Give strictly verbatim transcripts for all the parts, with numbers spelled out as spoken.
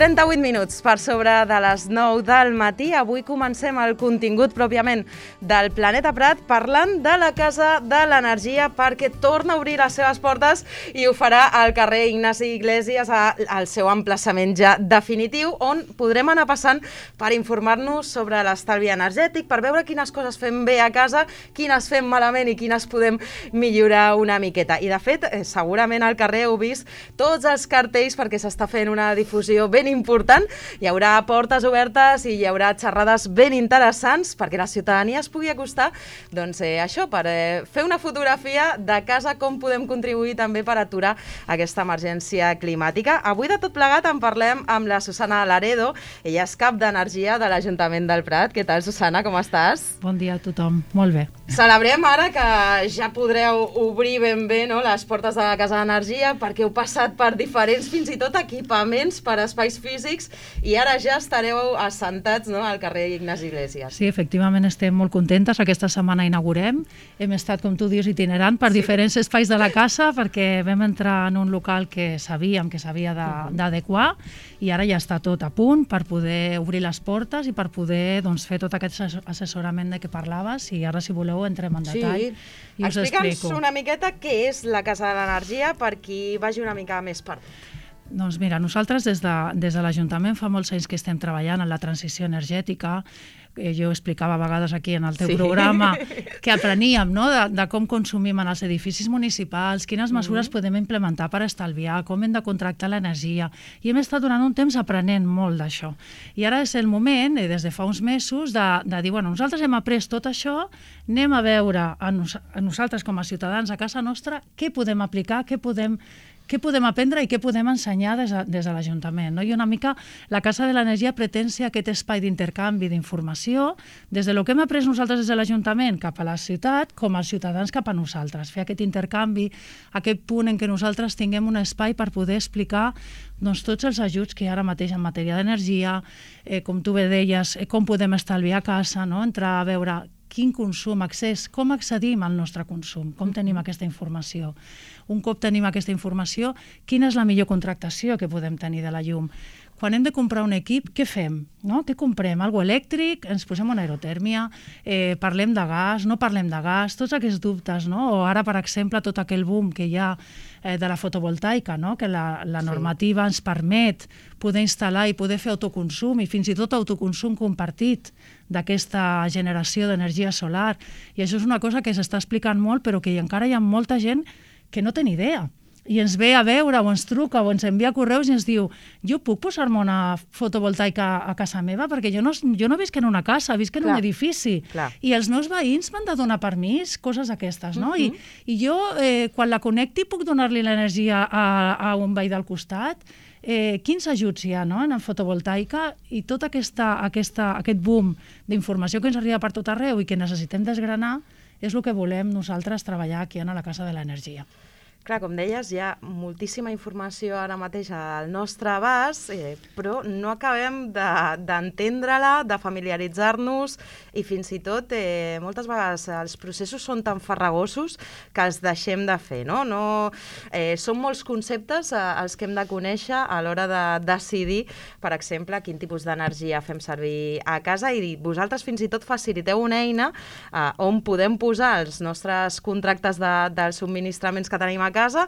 trenta-vuit minuts per sobre de les nou del matí. Avui comencem el contingut pròpiament del Planeta Prat parlant de la Casa de l'Energia perquè torna a obrir les seves portes i ho farà al carrer Ignasi Iglesias al seu emplaçament ja definitiu, on podrem anar passant per informar-nos sobre l'estalvi energètic, per veure quines coses fem bé a casa, quines fem malament i quines podem millorar una miqueta. I de fet, segurament al carrer heu vist tots els cartells perquè s'està fent una difusió ben important. Hi haurà portes obertes i hi haurà xerrades ben interessants perquè la ciutadania es pugui acostar, doncs eh, això, per eh, fer una fotografia de casa, com podem contribuir també per aturar aquesta emergència climàtica. Avui de tot plegat en parlem amb la Susana Laredo, ella és cap d'Energia de l'Ajuntament del Prat. Què tal, Susana, com estàs? Bon dia a tothom, molt bé. Celebrem ara que ja podreu obrir ben bé, no, les portes de la Casa d'Energia perquè heu passat per diferents, fins i tot equipaments per espais físics i ara ja estareu assentats, no, al carrer Ignasi Iglesias. Sí, efectivament estem molt contentes. Aquesta setmana inaugurem. Hem estat, com tu dius, itinerant per sí. diferents espais de la casa perquè vam entrar en un local que sabíem que s'havia d'adequar i ara ja està tot a punt per poder obrir les portes i per poder doncs, fer tot aquest assessorament de què parlaves i ara, si voleu, entrem en detall sí. i us Explica'ns explico. una miqueta què és la Casa de l'Energia per qui vagi una mica més per tot. Doncs mira, nosaltres des de, des de l'Ajuntament fa molts anys que estem treballant en la transició energètica. Eh, jo explicava a vegades aquí en el teu sí. programa que apreníem, no?, de, de com consumim en els edificis municipals, quines mesures mm-hmm. podem implementar per estalviar, com hem de contractar l'energia. I hem estat durant un temps aprenent molt d'això. I ara és el moment, eh, des de fa uns mesos, de, de dir, bueno, nosaltres hem après tot això, anem a veure a, nos, a nosaltres com a ciutadans a casa nostra què podem aplicar, què podem què podem aprendre i què podem ensenyar des de, des de l'Ajuntament. No? I una mica la Casa de l'Energia pretén ser aquest espai d'intercanvi d'informació des de lo que hem après nosaltres des de l'Ajuntament cap a la ciutat, com els ciutadans cap a nosaltres. Fer aquest intercanvi, aquest punt en què nosaltres tinguem un espai per poder explicar doncs, tots els ajuts que hi ha ara mateix en matèria d'energia, eh, com tu bé deies, eh, com podem estalviar a casa, no? Entrar a veure quin consum, accés, com accedim al nostre consum, com tenim aquesta informació. Un cop tenim aquesta informació, quina és la millor contractació que podem tenir de la llum. Quan hem de comprar un equip, què fem? No? Què comprem? Algo elèctric? Ens posem una aerotèrmia? Eh, parlem de gas? No parlem de gas? Tots aquests dubtes, no? O ara, per exemple, tot aquell boom que hi ha eh, de la fotovoltaica, no? Que la, la normativa sí. ens permet poder instal·lar i poder fer autoconsum i fins i tot autoconsum compartit d'aquesta generació d'energia solar. I això és una cosa que s'està explicant molt, però que encara hi ha molta gent que no té ni idea. I ens ve a veure o ens truca o ens envia correus i ens diu jo puc posar-me una fotovoltaica a casa meva? Perquè jo no, jo no visc en una casa, visc en clar, un edifici. Clar. I els meus veïns m'han de donar permís, coses aquestes, no? Uh-huh. I, I jo, eh, quan la connecti, puc donar-li l'energia a, a un veí del costat? Eh, quins ajuts hi ha, no?, en fotovoltaica? I tot aquesta, aquesta, aquest boom d'informació que ens arriba per tot arreu i que necessitem desgranar és el que volem nosaltres treballar aquí a la Casa de l'Energia. Clar, com deies, hi ha moltíssima informació ara mateix al nostre abast, eh, però no acabem d'entendre-la, de, de familiaritzar-nos i fins i tot eh, moltes vegades els processos són tan farragosos que els deixem de fer, no? no eh, són molts conceptes eh, els que hem de conèixer a l'hora de decidir, per exemple, quin tipus d'energia fem servir a casa i vosaltres fins i tot faciliteu una eina eh, on podem posar els nostres contractes de, dels subministraments que tenim a casa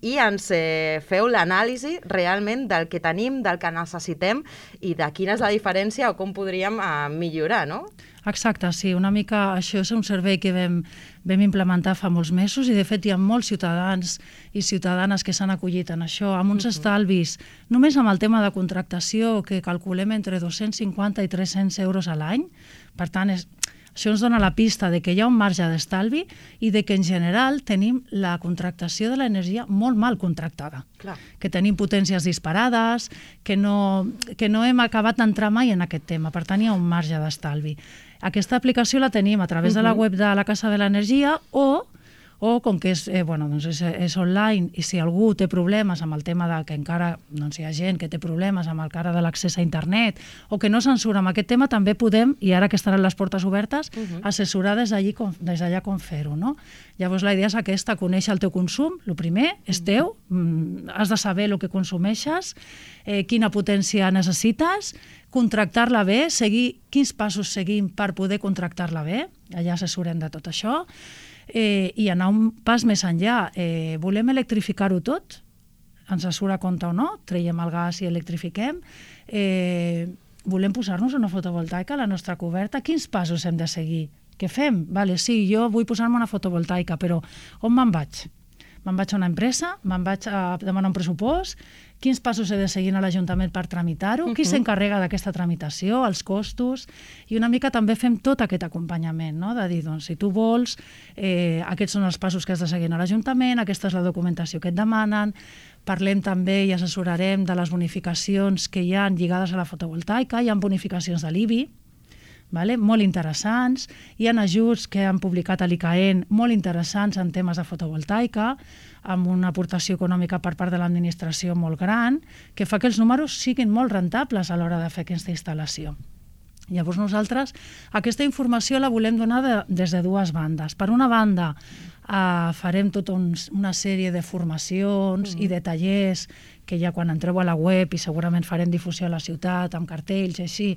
i ens eh, feu l'anàlisi realment del que tenim, del que necessitem i de quina és la diferència o com podríem eh, millorar, no? Exacte, sí, una mica això és un servei que vam, vam implementar fa molts mesos i de fet hi ha molts ciutadans i ciutadanes que s'han acollit en això, amb uns uh-huh. estalvis, només amb el tema de contractació que calculem entre dos-cents cinquanta i tres-cents euros a l'any, per tant és... Això ens dona la pista de que hi ha un marge d'estalvi i de que en general tenim la contractació de l'energia molt mal contractada. Clar. Que tenim potències disparades, que no, que no hem acabat d'entrar mai en aquest tema, per tant hi ha un marge d'estalvi. Aquesta aplicació la tenim a través uh-huh. de la web de la Casa de l'Energia o o com que és, eh, bueno, doncs és, és online i si algú té problemes amb el tema de que encara doncs hi ha gent que té problemes amb el cara de l'accés a internet o que no se'n surt amb aquest tema, també podem, i ara que estaran les portes obertes, uh-huh. assessorar des d'allí com, des d'allà com fer-ho, no? Llavors la idea és aquesta, conèixer el teu consum, el primer és teu, mm, has de saber el que consumeixes, eh, quina potència necessites, contractar-la bé, seguir quins passos seguim per poder contractar-la bé, allà assessorem de tot això, eh, i anar un pas més enllà. Eh, volem electrificar-ho tot? Ens surt a compte o no? Traiem el gas i electrifiquem? Eh, volem posar-nos una fotovoltaica a la nostra coberta? Quins passos hem de seguir? Què fem? Vale, sí, jo vull posar-me una fotovoltaica, però on me'n vaig? Me'n vaig a una empresa? Me'n vaig a demanar un pressupost? Quins passos he de seguir a l'Ajuntament per tramitar-ho? Qui uh-huh. s'encarrega d'aquesta tramitació, els costos? I una mica també fem tot aquest acompanyament, no? De dir, doncs, si tu vols, eh, aquests són els passos que has de seguir a l'Ajuntament, aquesta és la documentació que et demanen, parlem també i assessorarem de les bonificacions que hi ha lligades a la fotovoltaica, hi ha bonificacions de l'I B I, vale? Molt interessants, hi ha ajuts que han publicat a l'I C A E N molt interessants en temes de fotovoltaica, amb una aportació econòmica per part de l'administració molt gran, que fa que els números siguin molt rentables a l'hora de fer aquesta instal·lació. Llavors nosaltres aquesta informació la volem donar de, des de dues bandes. Per una banda, eh, farem tota un, una sèrie de formacions mm. i de tallers que ja quan entreu a la web i segurament farem difusió a la ciutat amb cartells i així,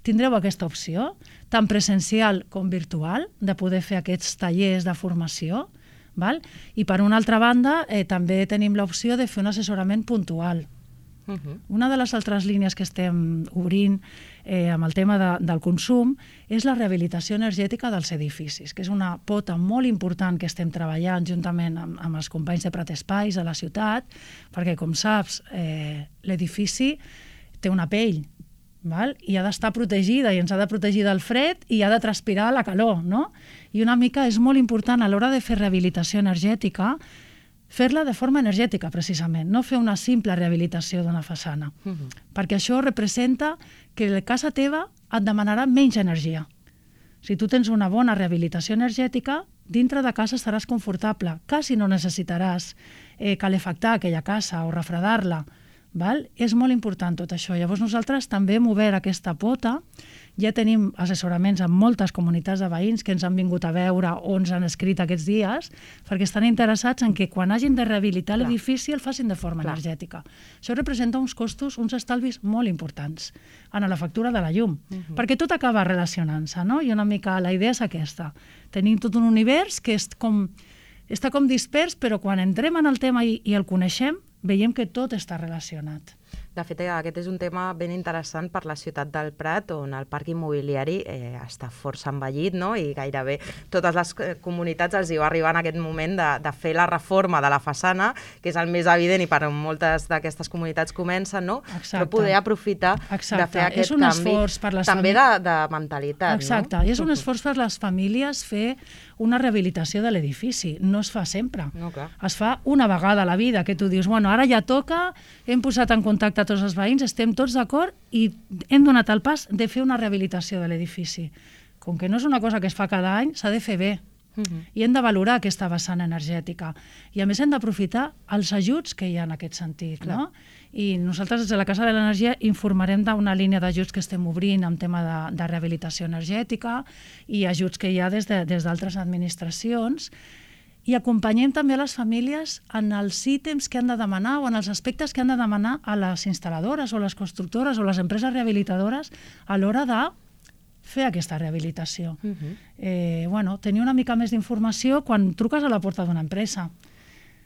tindreu aquesta opció, tant presencial com virtual, de poder fer aquests tallers de formació. Val? I per una altra banda, eh, també tenim l'opció de fer un assessorament puntual. Uh-huh. Una de les altres línies que estem obrint eh, amb el tema de, del consum és la rehabilitació energètica dels edificis, que és una pota molt important que estem treballant juntament amb, amb els companys de Prat Espais a la ciutat, perquè, com saps, eh, l'edifici té una pell, val? I ha d'estar protegida i ens ha de protegir del fred i ha de transpirar la calor, no? I una mica és molt important a l'hora de fer rehabilitació energètica fer-la de forma energètica, precisament, no fer una simple rehabilitació d'una façana, uh-huh. perquè això representa que la casa teva et demanarà menys energia. Si tu tens una bona rehabilitació energètica, dintre de casa estaràs confortable, quasi no necessitaràs eh, calefactar aquella casa o refredar-la. Val? És molt important tot això. Llavors nosaltres també hem obert aquesta pota, ja tenim assessoraments en moltes comunitats de veïns que ens han vingut a veure o ens han escrit aquests dies, perquè estan interessats en que quan hagin de rehabilitar Clar. l'edifici el facin de forma Clar. energètica. Això representa uns costos, uns estalvis molt importants en la factura de la llum, uh-huh. perquè tot acaba relacionant-se, no? I una mica la idea és aquesta. Tenim tot un univers que és com, està com dispers, però quan entrem en el tema i, i el coneixem, veiem que tot està relacionat. De fet, aquest és un tema ben interessant per la ciutat del Prat, on el parc immobiliari eh, està força envellit, no? I gairebé totes les comunitats els hi va arribar en aquest moment de, de fer la reforma de la façana, que és el més evident i per moltes d'aquestes comunitats comencen, no? Exacte. Però poder aprofitar Exacte. de fer aquest és un canvi per les també de, de mentalitat. Exacte, no? I és un esforç per les famílies fer una rehabilitació de l'edifici. No es fa sempre. No, clar. Es fa una vegada a la vida, que tu dius, bueno, ara ja toca, hem posat en contacte tots els veïns, estem tots d'acord i hem donat el pas de fer una rehabilitació de l'edifici. Com que no és una cosa que es fa cada any, s'ha de fer bé. Uh-huh. I hem de valorar aquesta vessant energètica. I a més hem d'aprofitar els ajuts que hi ha en aquest sentit. No? I nosaltres des de la Casa de l'Energia informarem d'una línia d'ajuts que estem obrint en tema de, de rehabilitació energètica i ajuts que hi ha des de, des d'altres administracions. I acompanyem també a les famílies en els ítems que han de demanar o en els aspectes que han de demanar a les instal·ladores o les constructores o les empreses rehabilitadores a l'hora de fer aquesta rehabilitació. Uh-huh. eh, bueno, tenir una mica més d'informació quan truques a la porta d'una empresa.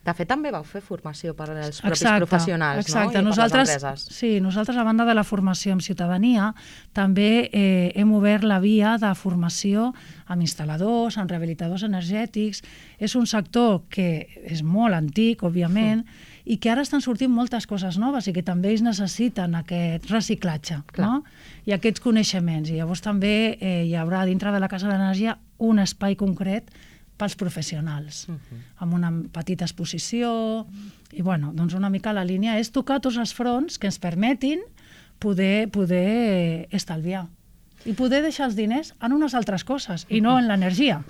De fet, també vau fer formació per als propis exacte, professionals, exacte. no? I nosaltres, per les empreses. Sí, nosaltres, a banda de la formació amb ciutadania, també eh, hem obert la via de formació amb instal·ladors, amb rehabilitadors energètics. És un sector que és molt antic, òbviament, sí. i que ara estan sortint moltes coses noves i que també ells necessiten aquest reciclatge, no? I aquests coneixements. I llavors també eh, hi haurà dintre de la Casa de l'Energia un espai concret pels professionals, uh-huh. amb una petita exposició, i bueno, doncs una mica la línia és tocar tots els fronts que ens permetin poder, poder estalviar. i poder deixar els diners en unes altres coses i no en l'energia.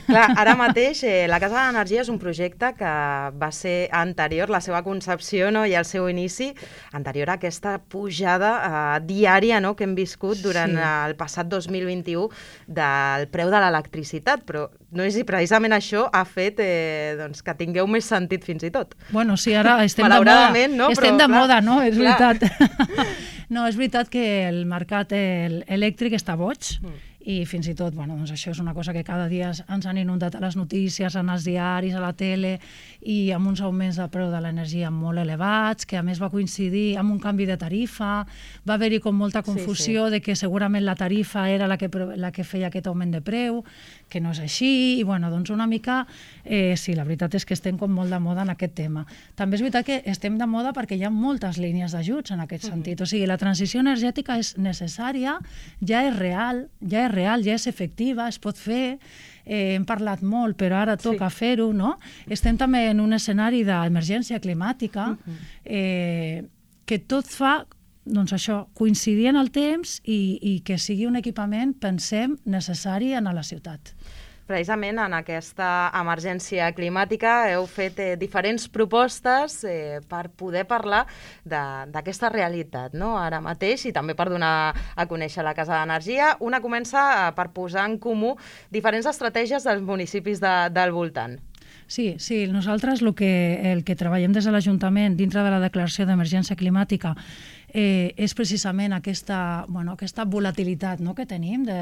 Clar, ara mateix eh, la Casa de l'Energia és un projecte que va ser anterior, la seva concepció, no, i el seu inici, anterior a aquesta pujada eh, diària, no, que hem viscut durant sí. el passat dos mil vint-i-u del preu de l'electricitat, però no és si precisament això ha fet eh, doncs, que tingueu més sentit fins i tot. Bueno, sí, ara estem de moda, no? estem però, de clar, moda, no? És clar. veritat. No, és veritat que el mercat el elèctric està boig mm. i fins i tot, bueno, doncs això és una cosa que cada dia ens han inundat a les notícies, en els diaris, a la tele, i amb uns augments de preu de l'energia molt elevats, que a més va coincidir amb un canvi de tarifa, va haver-hi com molta confusió sí, sí. de que segurament la tarifa era la que, la que feia aquest augment de preu, que no és així, i bueno, doncs una mica, eh, sí, la veritat és que estem com molt de moda en aquest tema. També és veritat que estem de moda perquè hi ha moltes línies d'ajuts en aquest sentit, o sigui, la transició energètica és necessària, ja és real, ja és real, ja és efectiva, es pot fer, eh, hem parlat molt, però ara toca sí. fer-ho, no? Estem també en un escenari d'emergència climàtica uh-huh. eh, que tot fa, doncs això, coincidir en el temps i, i que sigui un equipament, pensem, necessari en la ciutat. Precisament en aquesta emergència climàtica heu fet eh, diferents propostes eh, per poder parlar d'aquesta realitat, no? Ara mateix, i també per donar a conèixer la Casa d'Energia. Una comença eh, per posar en comú diferents estratègies dels municipis de, del voltant. Sí, sí, nosaltres el que, el que treballem des de l'Ajuntament dintre de la declaració d'emergència climàtica eh, és precisament aquesta, bueno, aquesta volatilitat, no?, que tenim de...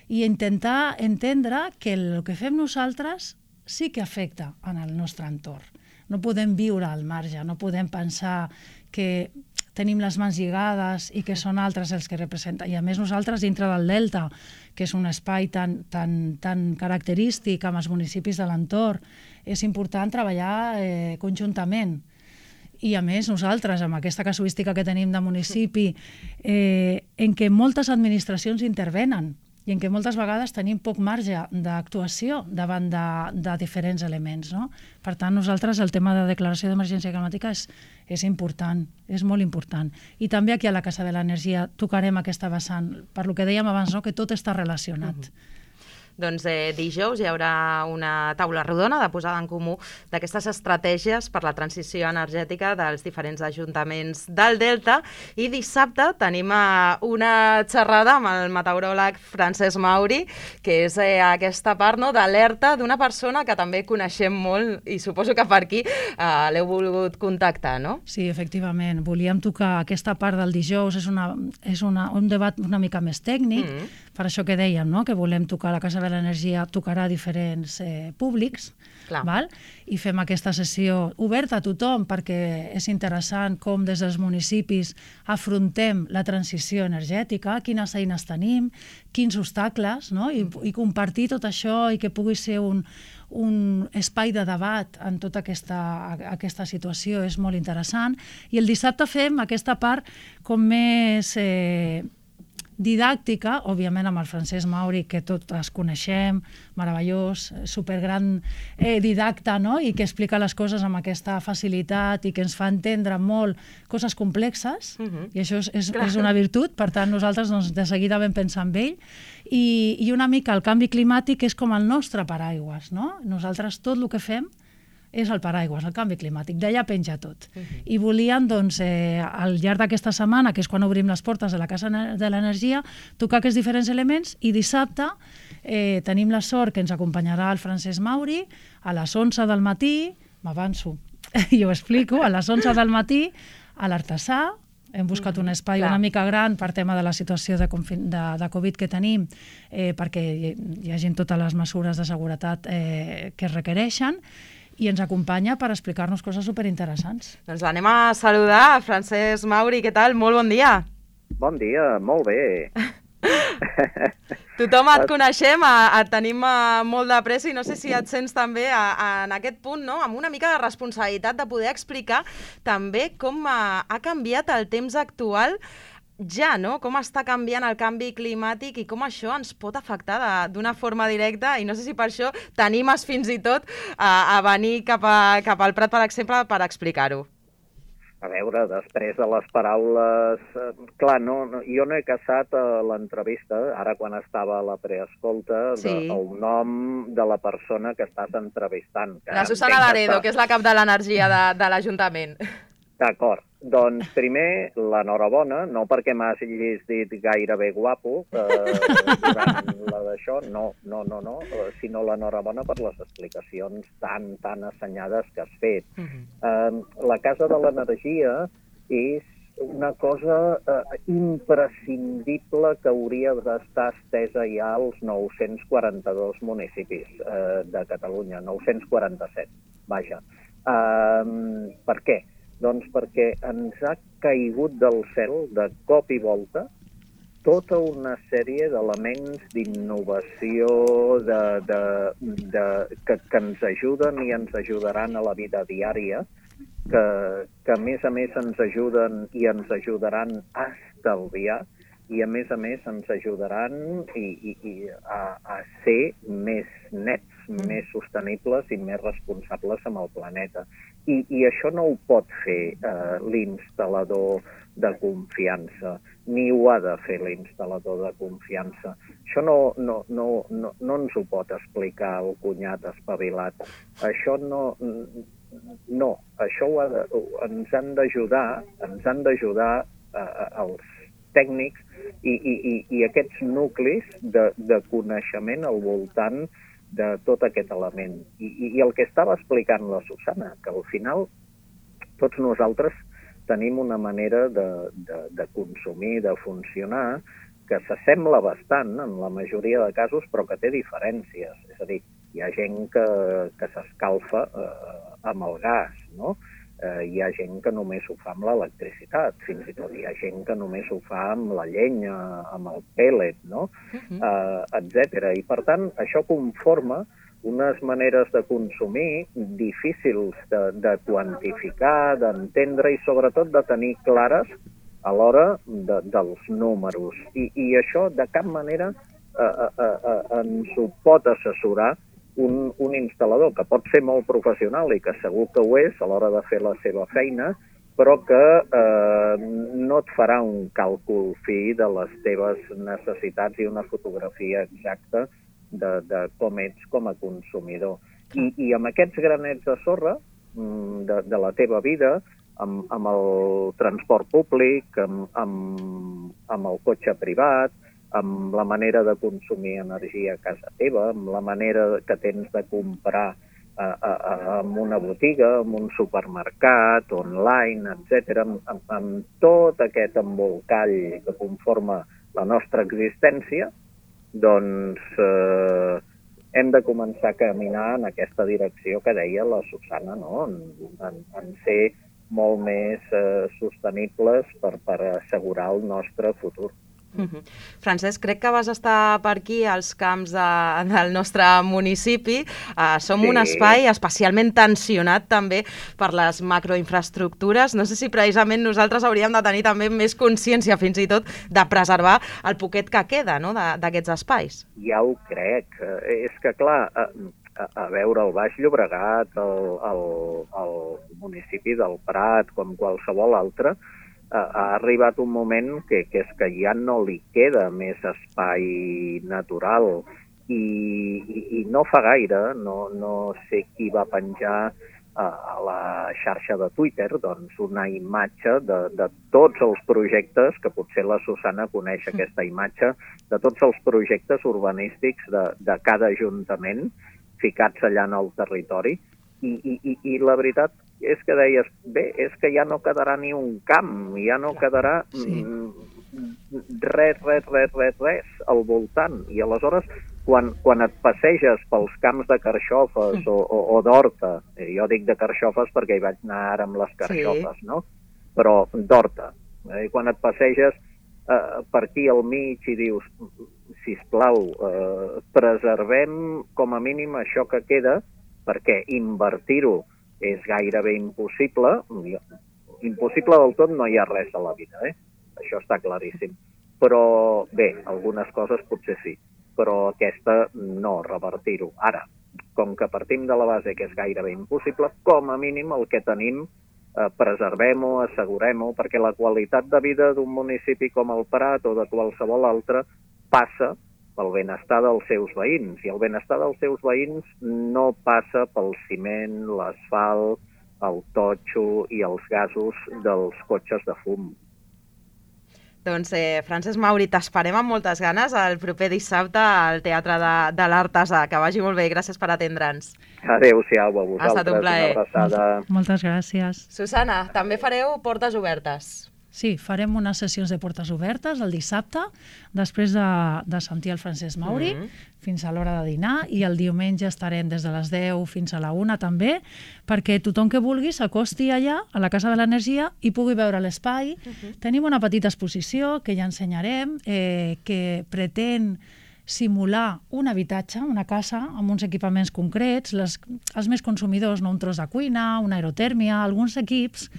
i intentar entendre que el que fem nosaltres sí que afecta en el nostre entorn. No podem viure al marge, no podem pensar que tenim les mans lligades i que són altres els que representen. I a més nosaltres dintre del Delta, que és un espai tan, tan, tan característic amb els municipis de l'entorn, és important treballar eh, conjuntament. I a més nosaltres, amb aquesta casuística que tenim de municipi, eh, en què moltes administracions intervenen, i en què moltes vegades tenim poc marge d'actuació davant de, de diferents elements, no? Per tant, nosaltres el tema de declaració d'emergència climàtica és, és important, és molt important. I també aquí a la Casa de l'Energia tocarem aquesta vessant, per lo que dèiem abans, no?, que tot està relacionat. Uh-huh. Doncs eh, dijous hi haurà una taula rodona de posada en comú d'aquestes estratègies per la transició energètica dels diferents ajuntaments del Delta, i dissabte tenim eh, una xerrada amb el meteoròleg Francesc Mauri, que és eh, aquesta part, no?, d'alerta d'una persona que també coneixem molt i suposo que per aquí eh, l'heu volgut contactar, no? Sí, efectivament. Volíem tocar aquesta part del dijous, és, una, és una, un debat una mica més tècnic, mm-hmm. per això que dèiem, no?, que volem tocar la Casa de l'Energia, tocarà diferents eh, públics, val? I fem aquesta sessió oberta a tothom perquè és interessant com des dels municipis afrontem la transició energètica, quines eines tenim, quins obstacles, no? I, i compartir tot això i que pugui ser un, un espai de debat en tota aquesta, aquesta situació és molt interessant. I el dissabte fem aquesta part com més... Eh, didàctica, òbviament amb el Francesc Mauri, que tots coneixem, meravellós, supergran eh, didacta, no?, i que explica les coses amb aquesta facilitat i que ens fa entendre molt coses complexes, uh-huh. i això és, és, és una virtut. Per tant, nosaltres doncs, de seguida vam pensar en ell, i, i una mica el canvi climàtic és com el nostre paraigües, no? Nosaltres tot el que fem és el paraigües, el canvi climàtic, d'allà penja tot. Uh-huh. I volíem, doncs, eh, al llarg d'aquesta setmana, que és quan obrim les portes de la Casa de l'Energia, tocar aquests diferents elements, i dissabte eh, tenim la sort que ens acompanyarà el Francesc Mauri a les onze del matí, m'avanço, i ho explico, a les onze del matí a l'Artesà. Hem buscat un espai Clar. una mica gran per tema de la situació de, de, de Covid que tenim, eh, perquè hi, hi hagi totes les mesures de seguretat eh, que es requereixen, i ens acompanya per explicar-nos coses superinteressants. Doncs l'anem a saludar. Francesc Mauri, què tal? Molt bon dia. Bon dia, molt bé. Tothom et coneixem, et tenim molt de pressa i no sé si et sents també en aquest punt, no?, amb una mica de responsabilitat de poder explicar també com ha canviat el temps actual ja, no?, com està canviant el canvi climàtic i com això ens pot afectar d'una forma directa, i no sé si per això t'animes fins i tot a, a venir cap, a, cap al Prat, per exemple, per explicar-ho. A veure, després de les paraules... Eh, clar, no, no, jo no he caçat a l'entrevista, ara quan estava a la preescolta, Sí. de, el nom de la persona que estàs entrevistant. Que La Susana entenc que Laredo, està- que és la cap de l'energia de, de l'Ajuntament. D'acord. Doncs primer, l'enhorabona, no perquè m'hagis dit gairebé guapo eh, durant la d'això, no, no, no, no, eh, sinó l'enhorabona per les explicacions tan, tan assenyades que has fet. Mhm. Eh, la Casa de l'Energia és una cosa eh, imprescindible que hauria d'estar estesa ja als nou-cents quaranta-dos municipis eh, de Catalunya, nou-cents quaranta-set, vaja. Eh, per què? Doncs perquè ens ha caigut del cel, de cop i volta, tota una sèrie d'elements d'innovació de, de, de, que, que ens ajuden i ens ajudaran a la vida diària, que, que a més a més ens ajuden i ens ajudaran a estalviar i a més a més ens ajudaran i, i, i a, a ser més nets, mm. més sostenibles i més responsables amb el planeta. I, i això no ho pot fer eh, l'instal·lador de confiança, ni ho ha de fer l'instal·lador de confiança. Això no, no, no, no, no ens ho pot explicar el cunyat espavilat. Això no... No, això ho ha de, ens han d'ajudar, ens han d'ajudar eh, els tècnics i, i, i, i aquests nuclis de, de coneixement al voltant de tot aquest element. I, i, I el que estava explicant la Susana, que al final tots nosaltres tenim una manera de, de, de consumir, de funcionar, que s'assembla bastant en la majoria de casos, però que té diferències. És a dir, hi ha gent que, que s'escalfa eh, amb el gas, no? Eh, hi ha gent que només ho fa amb l'electricitat, fins i tot hi ha gent que només ho fa amb la llenya, amb el pèl·let, no? Uh-huh. eh, etcètera. I per tant, això conforma unes maneres de consumir difícils de, de quantificar, d'entendre i sobretot de tenir clares a l'hora de, dels números. I, I això de cap manera eh, eh, eh, ens ho pot assessorar un, un instal·lador, que pot ser molt professional i que segur que ho és a l'hora de fer la seva feina, però que eh, no et farà un càlcul fi de les teves necessitats i una fotografia exacta de, de com ets com a consumidor. I, i amb aquests granets de sorra de, de la teva vida, amb, amb el transport públic, amb, amb, amb el cotxe privat, amb la manera de consumir energia a casa teva, amb la manera que tens de comprar a, a, a, en una botiga, en un supermercat, online, etcètera, amb, amb, amb tot aquest embolcall que conforma la nostra existència, doncs eh, hem de començar a caminar en aquesta direcció que deia la Susana, no? en, en, en ser molt més eh, sostenibles per, per assegurar el nostre futur. Uh-huh. Francesc, crec que vas estar per aquí als camps de, del nostre municipi. Uh, som sí. un espai especialment tensionat també per les macroinfraestructures. No sé si precisament nosaltres hauríem de tenir també més consciència fins i tot de preservar el poquet que queda, no?, d'aquests espais. Ja ho crec. És que, clar, a, a veure, el Baix Llobregat, el, el, el municipi del Prat, com qualsevol altre, ha arribat un moment que, que és que ja no li queda més espai natural i, i, i no fa gaire, no, no sé qui va penjar a, a la xarxa de Twitter doncs una imatge de, de tots els projectes, que potser la Susana coneix aquesta imatge, de tots els projectes urbanístics de, de cada ajuntament ficats allà en el territori i, i, i, i la veritat és que deies, bé, és que ja no quedarà ni un camp, ja no quedarà sí. res, res, res, res, res al voltant. I aleshores, quan, quan et passeges pels camps de carxofes mm. o, o, o d'horta, jo dic de carxofes perquè hi vaig anar ara amb les carxofes, sí. no? Però d'horta. Eh? Quan et passeges eh, per aquí al mig i dius, sisplau, eh, preservem com a mínim això que queda, perquè invertir-ho és gairebé impossible. Impossible del tot no hi ha res a la vida, eh? Això està claríssim. Però bé, algunes coses potser sí, però aquesta no, revertir-ho. Ara, com que partim de la base que és gairebé impossible, com a mínim el que tenim eh, preservem-ho, assegurem-ho, perquè la qualitat de vida d'un municipi com el Prat o de qualsevol altre passa pel benestar dels seus veïns, i el benestar dels seus veïns no passa pel ciment, l'asfalt, el totxo i els gasos dels cotxes de fum. Doncs, eh, Francesc Mauri, t'esperem amb moltes ganes el proper dissabte al Teatre de, de l'Artesà. Que vagi molt bé, gràcies per atendre'ns. Adéu-siau a vosaltres. Ha estat un plaer. Una abraçada. Moltes gràcies. Susana, també fareu portes obertes. Sí, farem unes sessions de portes obertes el dissabte, després de, de sentir el Francesc Mauri, mm -hmm. fins a l'hora de dinar, i el diumenge estarem des de les deu fins a la una també, perquè tothom que vulgui s'acosti allà, a la Casa de l'Energia, i pugui veure l'espai. Mm -hmm. Tenim una petita exposició que ja ensenyarem, eh, que pretén simular un habitatge, una casa, amb uns equipaments concrets, les, els més consumidors, no un tros de cuina, una aerotèrmia, alguns equips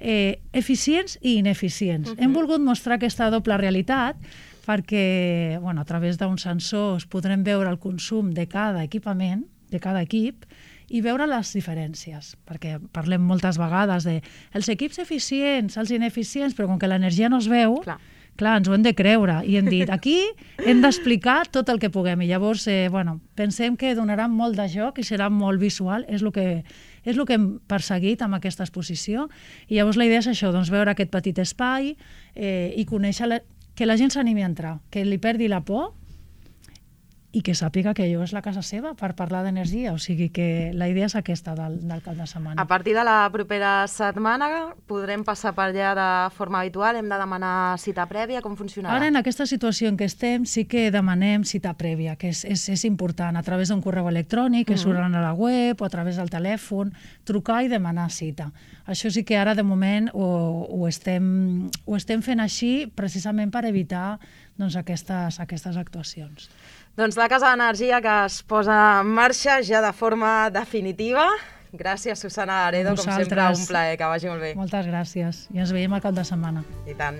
Eh, eficients i ineficients. Uh-huh. Hem volgut mostrar aquesta doble realitat perquè, bueno, a través d'uns sensors podrem veure el consum de cada equipament, de cada equip, i veure les diferències, perquè parlem moltes vegades de els equips eficients, els ineficients, però com que l'energia no es veu, clar, clar ens ho hem de creure, i hem dit, aquí hem d'explicar tot el que puguem, i llavors, eh, bueno, pensem que donarà molt de joc i serà molt visual, és el que és el que hem perseguit amb aquesta exposició, i llavors la idea és això, doncs veure aquest petit espai eh, i conèixer, la, que la gent s'animi a entrar, que li perdi la por i que sàpiga que allò és la casa seva per parlar d'energia, o sigui que la idea és aquesta del, del cap de setmana. A partir de la propera setmana podrem passar per allà de forma habitual, hem de demanar cita prèvia, com funcionarà? Ara, en aquesta situació en què estem, sí que demanem cita prèvia, que és, és, és important, a través d'un correu electrònic, que mm-hmm. surt a la web, o a través del telèfon, trucar i demanar cita. Això sí que ara, de moment, ho, ho, estem, ho estem fent així, precisament per evitar doncs, aquestes, aquestes actuacions. Doncs la Casa d'Energia que es posa en marxa ja de forma definitiva. Gràcies, Susana Aredo, com sempre, un plaer, que vagi molt bé. Moltes gràcies i ens veiem al cap de setmana. I tant.